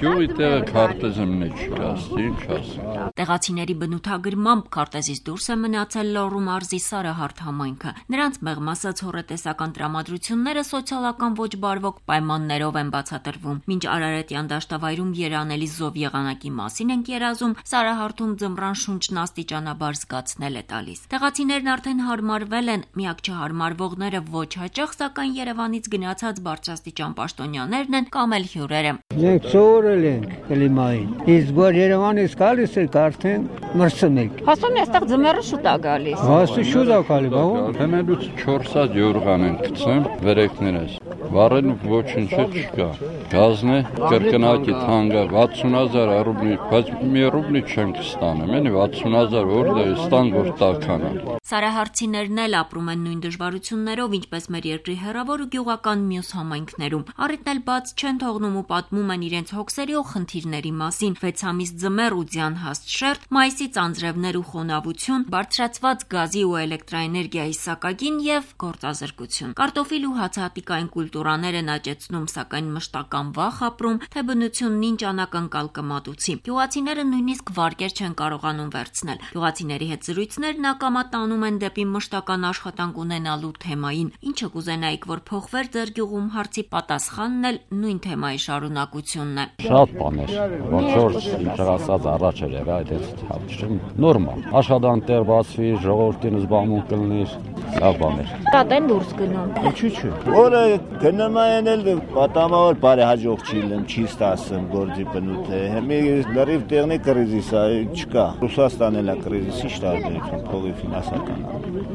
Գյուղի տեղը քարտեզը մեջ չկա, ինչ ասեմ։ Տեղացիների բնութագրմամբ քարտեզից դուրս է մնացել Լոռու մարզի Սարահարթ համայնքը։ Նրանց մեղմ ասած հոռետեսական տրամադրությունները սոցիալական ոչ բարվոք պայմաններով են բացատրվում։ Մինչ Արարատյան դաշտավայրում երանելի զով եղանակի մասին ենք երազում, Սարահարթում ձմռան շունչն աստիճանաբար զգացնել է տալիս։ Տեղացիներն արդեն հարմարվել են, միակ չհարմարվողները ոչ հաճախ, սակայն Երևանից գնացած բարձրաստիճան պաշտոնյաներն են կամ էլ հյուրերը։ Մենք սովորել ենք կլիմային, իսկ որ Երևանից գալիս եք արդեն մրցում եք։ Հասում է այստեղ ձմեռը շուտ է գալիս։ Հասու շուտ է գալիս, բա։ Թեմելուց 400 յուրղան են գցեմ վերեկներս։ Վառեն ոչինչ չկա։ Գազն է կրկնակի թանկը 60000 ռուբլի, բայց մի ռուբլի չենք ստանում, էլի 60000 որտե ստան որ տականա։ Սարահարցիներն էլ ապրում են նույն դժվարություններով, ինչպես մեր երկրի հեռավոր ու գյուղական մյուս համայնքներում։ Առիթն էլ բաց չեն թողնում ու պատմում են իրենց հոգսերի ու խնդիրների մասին։ 6 ամիս ձմեռ ու ձյան հաստ շերտ, մայիսից անձրևներ ու խոնավություն, բարձրացված գազի ու էլեկտրաէներգիայի սակագին եւ գործազրկություն։ Կարտոֆիլ ու հացահատիկային կուլտուրաներ են աճեցնում, սակայն մշտական վախ ապրում, թե բնությունն ինչ անակնկալ կմատուցի։ Գյուղացիները նույնիսկ վարկեր չեն կարողանում վերցնել։ Գյուղացիների հետ զրույցներն ակամա տանում են դեպի մշտական աշխատանք ունենալու թեմային։ Ինչը կուզենայիք, որ փոխվեր ձեր գյուղում հարցի պատասխանն էլ նույն թեմայի շարունակությունն է։ Շատ բաներ, ոնց որ ինչ ասած առաջ էր եղա, այդ հարցում նորմալ։ Աշխատանք տեղ բացվի, ժողովրդին զբաղմունք կլինի, լավ բաներ։ Տատեն դուրս գնում։ Ինչու՞ չէ։ Որը գնում են էլ պատամավոր բարեհաջող չի լինում, չի ստացում գործի բնութը։ Հիմա լրիվ տեղնի կրիզիս է, չկա։ Ռուսաստանն էլ է կրիզիսի շտարբերություն, փողի ֆինանսական։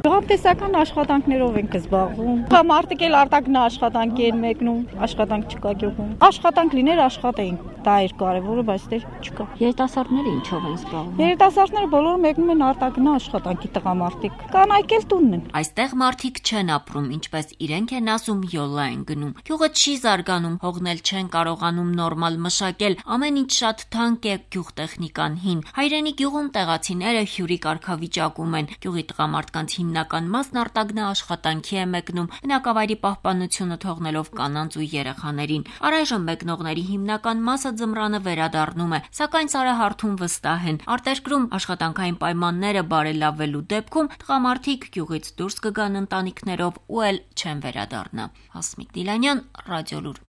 Գյուղատնտեսական աշխատանքներով ենք զբաղվում։ Մարդիկ էլ արտաքին աշխատանքի են մեկնում, աշխատանք չկա գյուղում։ Աշխատանք լիներ աշխատեին, դա էր կարևորը, բայց դեռ չկա։ Երիտասարդները ինչով են զբաղվում։ Երիտասարդները բոլորը մեկնում են արտաքին աշխատանքի տղամարդիկ։ Կանայք էլ տունն են։ Այստեղ մարդիկ չեն ապրում, ինչպես իրենք են ասում, յոլա են գնում։ Գյուղը չի զարգանում, հողնել չեն կարողանում նորմալ մշակել, ամեն ինչ շատ թանկ է, գյուղտեխնիկան հին։ Հայրենի գյուղում տեղացիները հյուրի կարգավիճակում են։ Գյուղի տղամարդկանց հիմնական մասն արտագնա աշխատանքի է մեկնում, բնակավայրի պահպանությունը թողնելով կանանց ու երեխաներին։ Առայժմ մեկնողների հիմնական մասը ձմռանը վերադառնում է, սակայն Սարահարթում վստահ են, արտերկրում աշխատանքային պայմանները բարելավելու դեպքում տղամարդիկ գյուղից դուրս կգան ընտանիքներով ու էլ չեն վերադառնա։ Հասմիկ Դիլանյան, Ռադիոլուր։